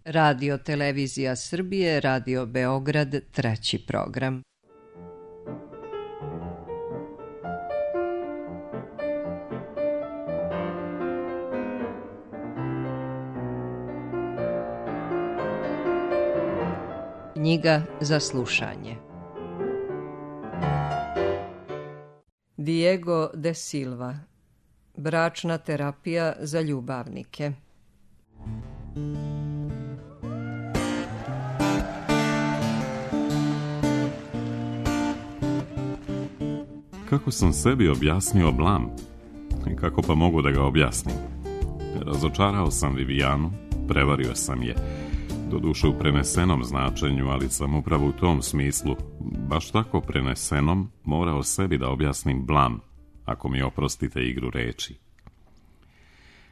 Radio Televizija Srbije, Radio Beograd, 3. program. Knjiga za slušanje. Diego de Silva. Bračna terapija za ljubavnike. Kako sam sebi objasnio blam? I kako pa mogu da ga objasnim? Razočarao sam Vivijanu, prevario sam je, doduše u prenesenom značenju, ali sam upravo u tom smislu, baš tako prenesenom, morao sebi da objasnim blam, ako mi oprostite igru reči.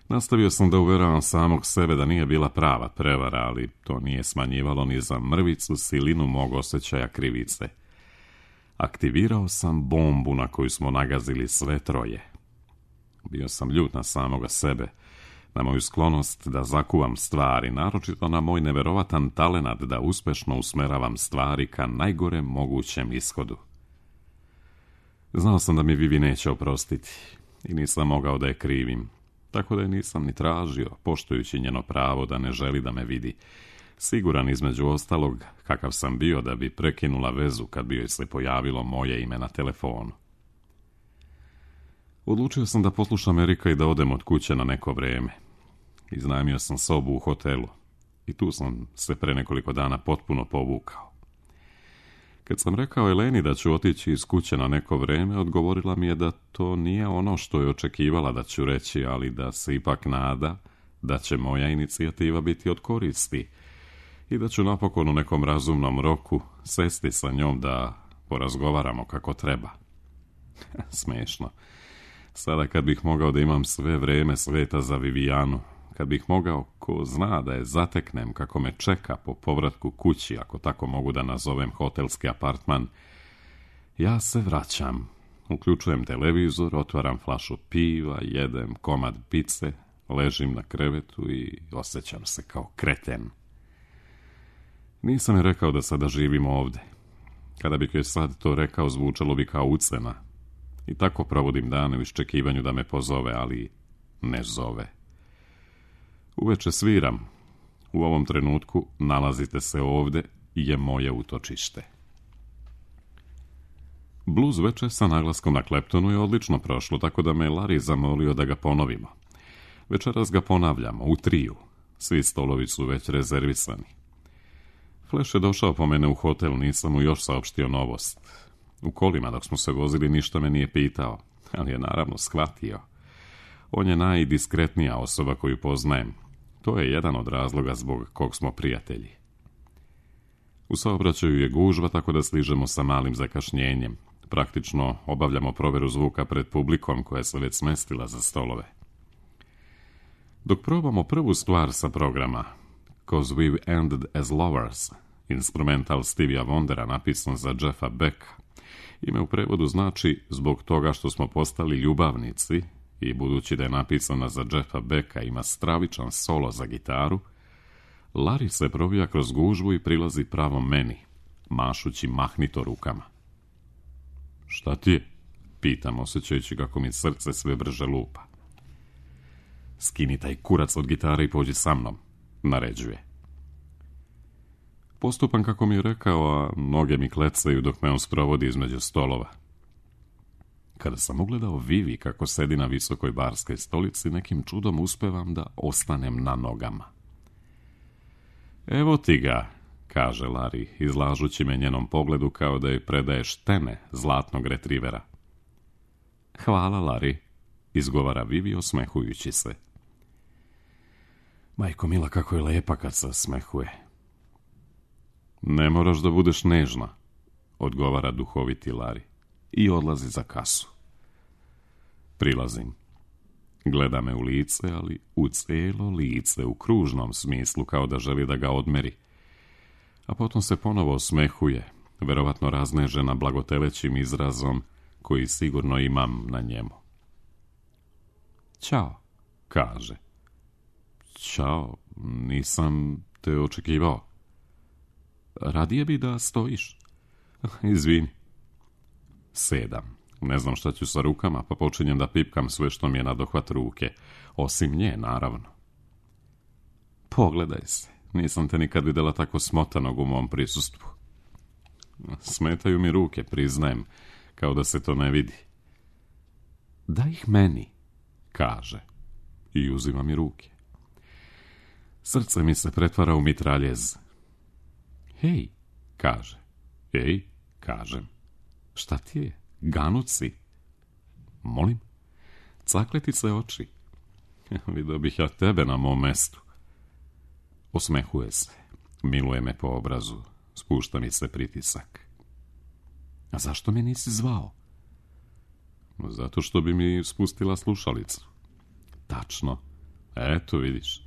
Nastavio sam da uveravam samog sebe da nije bila prava prevara, ali to nije smanjivalo ni za mrvicu silinu mog osjećaja krivice. Aktivirao sam bombu na koju smo nagazili sve troje. Bio sam ljut na samoga sebe, na moju sklonost da zakuvam stvari, naročito na moj neverovatan talenat da uspešno usmeravam stvari ka najgorem mogućem ishodu. Znao sam da mi Vivi neće oprostiti i nisam mogao da je krivim, tako da je nisam ni tražio, poštujući njeno pravo da ne želi da me vidi, siguran između ostalog kakav sam bio da bi prekinula vezu kad bi joj se pojavilo moje ime na telefonu. Odlučio sam da poslušam Erika i da odem od kuće na neko vreme. Iznajmio sam sobu u hotelu i tu sam se pre nekoliko dana potpuno povukao. Kad sam rekao Eleni da ću otići iz kuće na neko vreme, odgovorila mi je da to nije ono što je očekivala da ću reći, ali da se ipak nada da će moja inicijativa biti od koristi i da ću napokon u nekom razumnom roku sesti sa njom da porazgovaramo kako treba. Smešno. Sada kad bih mogao da imam sve vreme sveta za Vivijanu, kad bih mogao, ko zna, da je zateknem kako me čeka po povratku kući, ako tako mogu da nazovem hotelski apartman, ja se vraćam, uključujem televizor, otvaram flašu piva, jedem komad pice, ležim na krevetu i osjećam se kao kreten. Nisam je rekao da sada živimo ovde. Kada bih joj sad to rekao, zvučalo bi kao ucena. I tako provodim dane u iščekivanju da me pozove, ali ne zove. Uveče sviram. U ovom trenutku nalazite se ovde i je moje utočište. Blues veče sa naglaskom na Kleptonu je odlično prošlo, tako da me Larry zamolio da ga ponovimo. Večeras ga ponavljamo, u triju. Svi stolovi su već rezervisani. Flash je došao po mene u hotel, nisam mu još saopštio novost. U kolima dok smo se vozili ništa me nije pitao, ali je naravno shvatio. On je najdiskretnija osoba koju poznajem. To je jedan od razloga zbog kog smo prijatelji. U saobraćaju je gužva, tako da stižemo sa malim zakašnjenjem. Praktično obavljamo proveru zvuka pred publikom koja se već smestila za stolove. Dok probamo prvu stvar sa programa, "'Cause We've Ended as Lovers", instrumental Stevija Wondera napisan za Jeffa Becka, ime u prevodu znači "zbog toga što smo postali ljubavnici", i budući da je napisana za Jeffa Becka ima stravičan solo za gitaru, Larry se probija kroz gužvu i prilazi pravo meni, mašući mahnito rukama. "Šta ti je?" pitam, osjećajući kako mi srce sve brže lupa. "Skini taj kurac od gitare i pođi sa mnom", naređuje. Postupam kako mi je rekao, a noge mi klecaju dok me on sprovodi između stolova. Kada sam ugledao Vivi kako sedi na visokoj barskoj stolici, nekim čudom uspevam da ostanem na nogama. "Evo ti ga", kaže Larry, izlažući me njenom pogledu kao da joj predaje štene zlatnog retrivera. "Hvala, Larry", izgovara Vivi osmehujući se. Majko mila, kako je lepa kad se osmehuje. "Ne moraš da budeš nežna", odgovara duhoviti Larry i odlazi za kasu. Prilazim. Gleda me u lice, ali u cijelo lice, u kružnom smislu, kao da želi da ga odmeri. A potom se ponovo osmehuje, verovatno raznežena blagotelećim izrazom koji sigurno imam na njemu. "Ćao", kaže. "Ćao, nisam te očekivao. Radije bi da stojiš. Izvini. Sedam. Ne znam šta ću sa rukama, pa počinjem da pipkam sve što mi je na dohvat ruke. Osim nje, naravno. Pogledaj se. Nisam te nikad vidjela tako smotanog u mom prisustvu. Smetaju mi ruke, priznajem, kao da se to ne vidi. Daj ih meni, kaže. I uzima mi ruke. Srce mi se pretvara u mitraljez. Hej, kaže. Ej, kažem. Šta ti je? Ganut si? Molim? Cakleti se oči. Vidio bih ja tebe na mom mestu. Osmehuje se. Miluje me po obrazu. Spušta mi se pritisak. A zašto me nisi zvao? Zato što bi mi spustila slušalicu. Tačno. Eto, vidiš.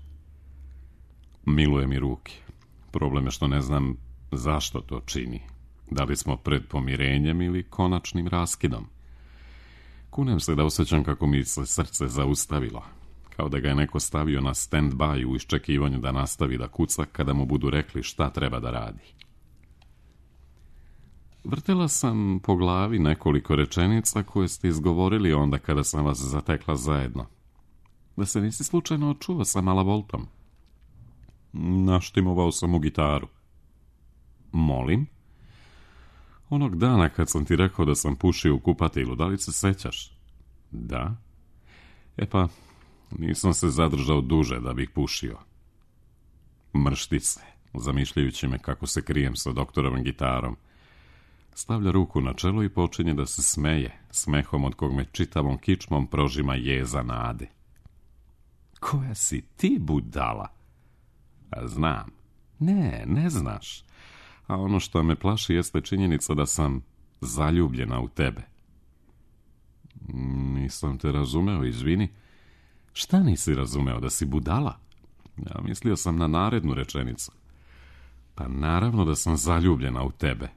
Miluje mi ruke. Problem je što ne znam zašto to čini. Da li smo pred pomirenjem ili konačnim raskidom. Kunem se da osjećam kako mi se srce zaustavilo. Kao da ga je neko stavio na stand-by u iščekivanju da nastavi da kuca kada mu budu rekli šta treba da radi. Vrtela sam po glavi nekoliko rečenica koje ste izgovorili onda kada sam vas zatekla zajedno. Da se nisi slučajno čuo sa Malavoltom. Naštimovao sam u gitaru. Molim? Onog dana kad sam ti rekao da sam pušio u kupatilu, da li se sećaš? Da. E pa, nisam se zadržao duže da bih pušio. Mršti se, zamišljajući me kako se krijem sa doktorovim gitarom. Stavlja ruku na čelo i počinje da se smeje, smehom od kog me čitavom kičmom prožima jeza nade. Koja si ti budala? A znam. Ne znaš. A ono što me plaši jeste činjenica da sam zaljubljena u tebe. Nisam te razumeo, izvini. Šta nisi razumeo, da si budala? Ja mislio sam na narednu rečenicu. Pa naravno da sam zaljubljena u tebe.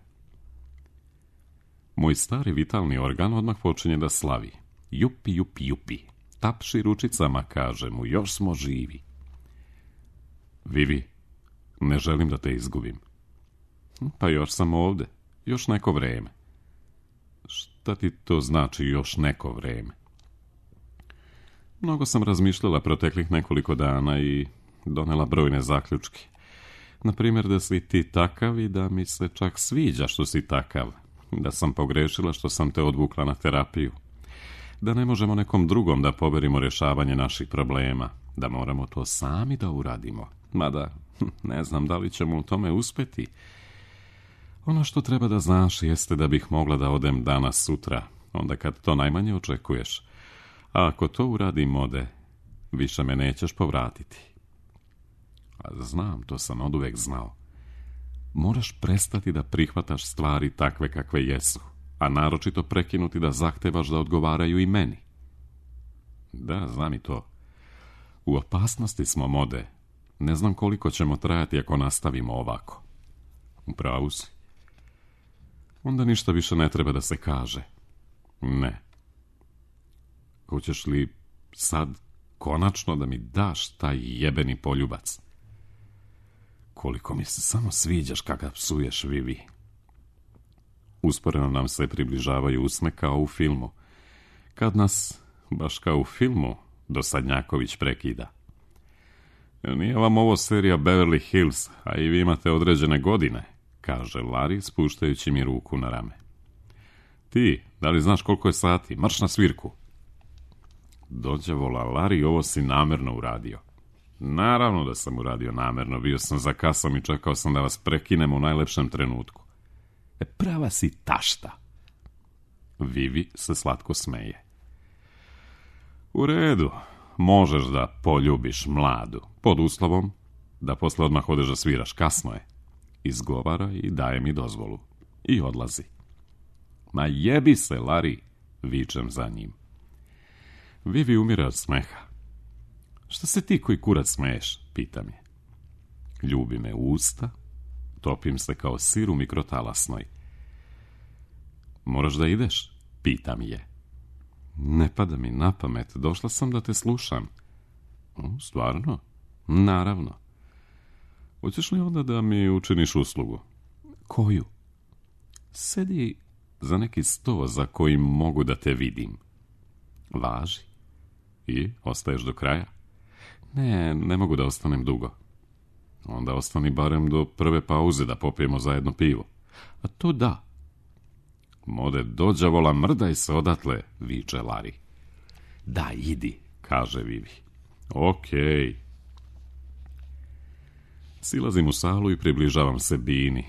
Moj stari vitalni organ odmah počinje da slavi. Jupi, jupi, jupi. Tapši ručicama, kaže mu, još smo živi. Vivi, ne želim da te izgubim. Pa još sam ovde, još neko vreme. Šta ti to znači još neko vreme? Mnogo sam razmišljala proteklih nekoliko dana i donela brojne zaključke. Naprimjer da si ti takav i da mi se čak sviđa što si takav. Da sam pogrešila što sam te odvukla na terapiju. Da ne možemo nekom drugom da poverimo rješavanje naših problema. Da moramo to sami da uradimo. Mada, ne znam da li ćemo u tome uspjeti. Ono što treba da znaš jeste da bih mogla da odem danas sutra, onda kad to najmanje očekuješ. A ako to uradim, ode, više me nećeš povratiti. A znam, to sam oduvek znao. Moraš prestati da prihvataš stvari takve kakve jesu, a naročito prekinuti da zahtevaš da odgovaraju i meni. Da, znam i to. U opasnosti smo, Mode. Ne znam koliko ćemo trajati ako nastavimo ovako. U pravu si. Onda ništa više ne treba da se kaže. Ne. Hoćeš li sad konačno da mi daš taj jebeni poljubac? Koliko mi se samo sviđaš kada psuješ, Vivi. Usporeno nam se približavaju usne kao u filmu. Kad nas, baš kao u filmu, Dosadnjaković prekida. Nije vam ovo serija Beverly Hills, a i vi imate određene godine, kaže Larry spuštajući mi ruku na rame. Ti, da li znaš koliko je sati? Marš na svirku. Dođavola, Larry, ovo si namerno uradio. Naravno da sam uradio namerno, bio sam za kasom i čekao sam da vas prekinem u najlepšem trenutku. Prava si tašta. Vivi se slatko smeje. U redu, možeš da poljubiš mladu, pod uslovom da posle odmah odeš da sviraš, kasno je. Izgovara i daje mi dozvolu. I odlazi. Ma jebi se, Larry, vičem za njim. Vivi umire od smeha. Šta se ti koji kurac smeješ, pitam je. Ljubi me u usta, topim se kao sir u mikrotalasnoj. Moraš da ideš, pitam je. Ne pada mi na pamet, došla sam da te slušam. Stvarno? Naravno. Hoćeš li onda da mi učiniš uslugu? Koju? Sedi za neki sto za kojim mogu da te vidim. Važi. I ostaješ do kraja? Ne mogu da ostanem dugo. Onda ostani barem do prve pauze da popijemo zajedno pivo. A to da. Mode dođavola, mrdaj se odatle, viče Larry. Da, idi, kaže Vivi. Okej. Silazim u salu i približavam se Bini.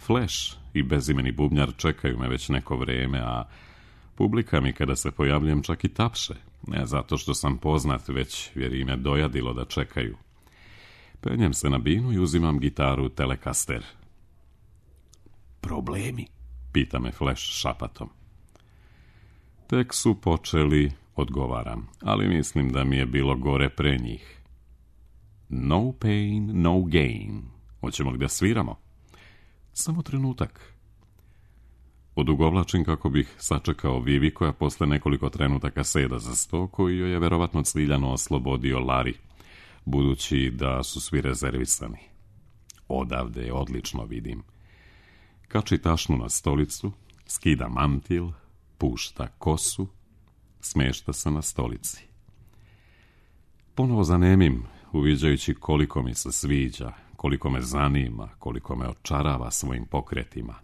Flash i bezimeni bubnjar čekaju me već neko vreme, a publika mi kada se pojavljujem čak i tapše. Ne zato što sam poznat, već jer im je dojadilo da čekaju. Penjem se na Binu i uzimam gitaru Telecaster. Problemi? Pita me Flash šapatom. Tek su počeli, odgovaram, ali mislim da mi je bilo gore pre njih. No pain, no gain. Hoćemo li da sviramo? Samo trenutak. Odugovlačim kako bih sačekao Vivi koja posle nekoliko trenutaka seda za sto koji joj je verovatno ciljano oslobodio Larry, budući da su svi rezervisani. Odavde odlično vidim. Kači tašnu na stolicu, skida mantil, pušta kosu, smešta se na stolici. Ponovo zanemim, uviđajući koliko mi se sviđa, koliko me zanima, koliko me očarava svojim pokretima.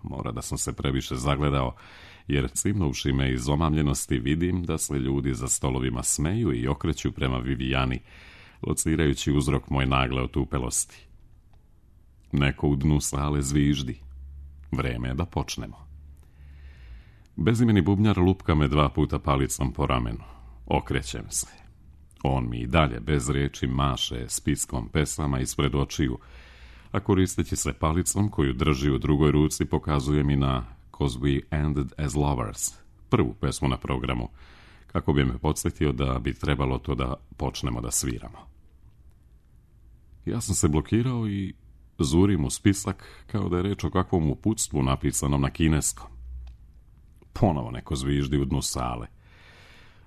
Mora da sam se previše zagledao, jer cimnuvši me iz omamljenosti vidim da se ljudi za stolovima smeju i okreću prema Vivijani, locirajući uzrok moje nagle otupelosti. Neko u dnu sale zviždi. Vreme je da počnemo. Bezimeni bubnjar lupka me 2 puta palicom po ramenu. Okrećem se. On mi i dalje bez riječi maše spiskom pesama ispred očiju, a koristeći se palicom koju drži u drugoj ruci pokazuje mi na "'Cause We Ended as Lovers", prvu pesmu na programu, kako bi me podsjetio da bi trebalo to da počnemo da sviramo. Ja sam se blokirao i zurim u spisak kao da je reč o kakvom uputstvu napisanom na kineskom. Ponovo neko zviždi u dnu sale.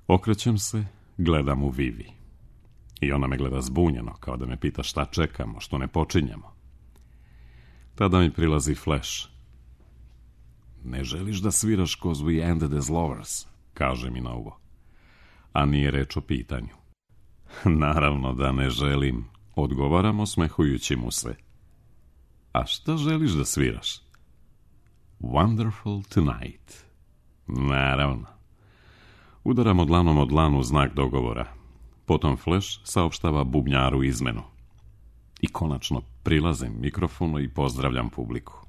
Okrećem se, gledam u Vivi. I ona me gleda zbunjeno, kao da me pita šta čekamo, što ne počinjemo. Tada mi prilazi Flash. Ne želiš da sviraš "'Cause We Ended as Lovers", kaže mi na uvo. A nije reč o pitanju. Naravno da ne želim, odgovaram osmehujući mu se. A šta želiš da sviraš? Wonderful Tonight. Naravno. Udaram dlanom o dlanu u znak dogovora. Potom Flash saopštava bubnjaru izmenu. I konačno prilazim mikrofonu i pozdravljam publiku.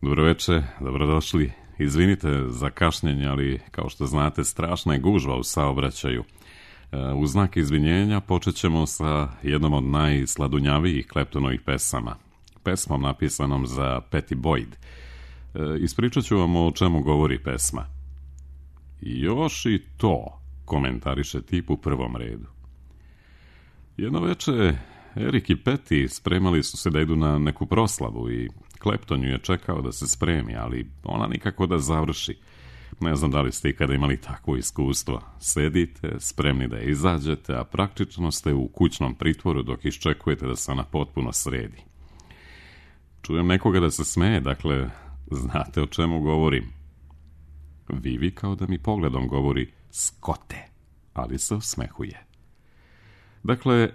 Dobroveče, dobrodošli. Izvinite za kašnjenje, ali kao što znate, strašna je gužva u saobraćaju. U znak izvinjenja počet ćemo sa jednom od najsladunjavijih Claptonovih pesama. Pesmom napisanom za Pattie Boyd. Ispričat ću vam o čemu govori pesma. Još i to, komentariše tip u prvom redu. Jedno veče Erik i Pattie spremali su se da idu na neku proslavu i Clapton ju je čekao da se spremi, ali ona nikako da završi. Ne znam da li ste ikada imali takvo iskustvo. Sedite, spremni da izađete, a praktično ste u kućnom pritvoru dok iščekujete da se ona potpuno sredi. Čujem nekoga da se smeje, dakle, znate o čemu govorim. Vivi kao da mi pogledom govori "Skote", ali se osmehuje. Dakle,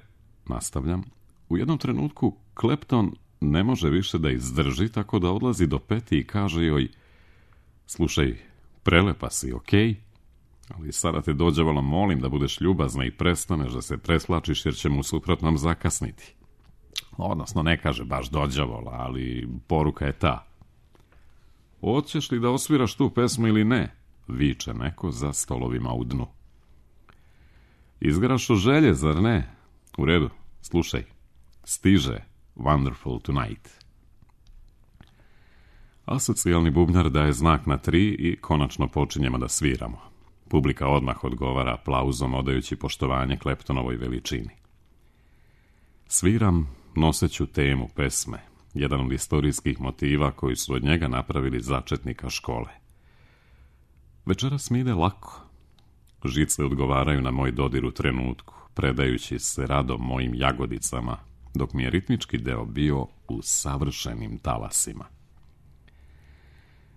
nastavljam, u jednom trenutku Clapton ne može više da izdrži, tako da odlazi do Pattie i kaže joj: "Slušaj, prelepa si, okej? Ali sada te dođavalo molim da budeš ljubazna i prestaneš da se preslačiš jer ćemo u suprotnom zakasniti." Odnosno, ne kaže baš dođavola, ali poruka je ta. "Hoćeš li da osviraš tu pesmu ili ne?" viče neko za stolovima u dnu. "Izgraš o želje, zar ne? U redu, slušaj. Stiže Wonderful Tonight." Asocijalni bubnjar daje znak na 3 i konačno počinjemo da sviramo. Publika odmah odgovara aplauzom odajući poštovanje Claptonovoj veličini. Sviram noseću temu pesme, jedan od istorijskih motiva koji su od njega napravili začetnika škole. Večeras mi ide lako. Žice odgovaraju na moj dodir u trenutku, predajući se radom mojim jagodicama, dok mi je ritmički deo bio u savršenim talasima.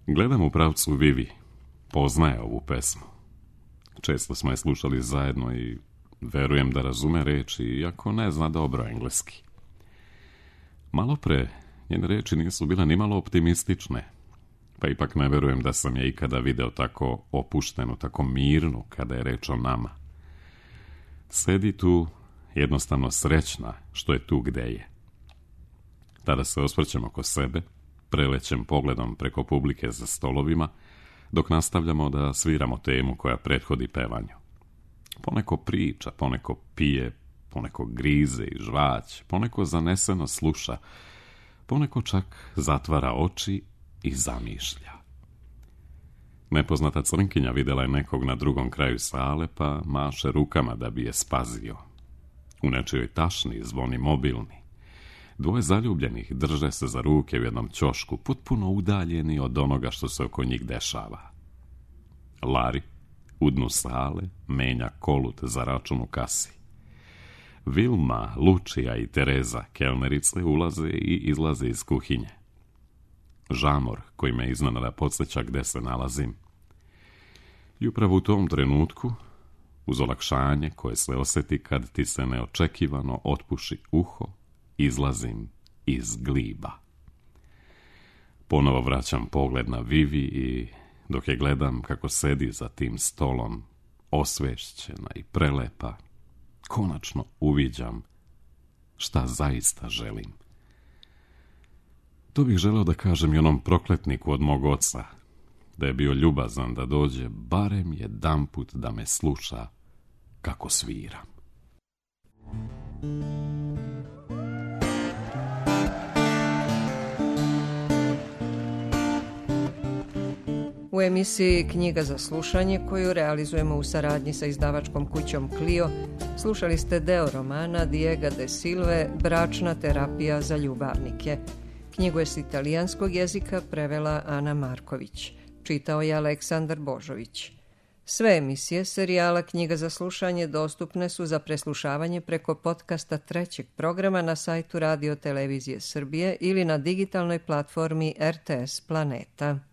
Gledam u pravcu Vivi, poznaje ovu pesmu. Često smo je slušali zajedno i verujem da razume reči, iako ne zna dobro engleski. Malo pre, njene reči nisu bile nimalo optimistične, pa ipak ne verujem da sam je ikada video tako opuštenu, tako mirnu kada je reč o nama. Sedi tu, jednostavno srećna što je tu gde je. Tada se osvrćem oko sebe, prelećem pogledom preko publike za stolovima, dok nastavljamo da sviramo temu koja prethodi pevanju. Poneko priča, poneko pije, poneko grize i žvać, poneko zaneseno sluša, poneko čak zatvara oči i zamišlja. Nepoznata crnkinja videla je nekog na drugom kraju sale, pa maše rukama da bi je spazio. U nečijoj tašni zvoni mobilni. Dvoje zaljubljenih drže se za ruke u jednom ćošku, potpuno udaljeni od onoga što se oko njih dešava. Lari, u dnu sale, menja kolut za račun u kasi. Vilma, Lučija i Tereza, kelnerice, ulaze i izlaze iz kuhinje. Žamor koji me iznenada podsjeća gde se nalazim. I upravo u tom trenutku, uz olakšanje koje se osjeti kad ti se neočekivano otpuši uho, izlazim iz gliba. Ponovo vraćam pogled na Vivi i dok je gledam kako sedi za tim stolom, osvešćena i prelepa, konačno uviđam šta zaista želim. To bih želeo da kažem i onom prokletniku od mog oca, da je bio ljubazan da dođe barem jedanput da me sluša kako sviram. U emisiji Knjiga za slušanje, koju realizujemo u saradnji sa izdavačkom kućom Clio, slušali ste deo romana Diega de Silve Bračna terapija za ljubavnike. Knjigu je s italijanskog jezika prevela Ana Marković. Čitao je Aleksandar Božović. Sve emisije serijala Knjiga za slušanje dostupne su za preslušavanje preko podcasta trećeg programa na sajtu Radio Televizije Srbije ili na digitalnoj platformi RTS Planeta.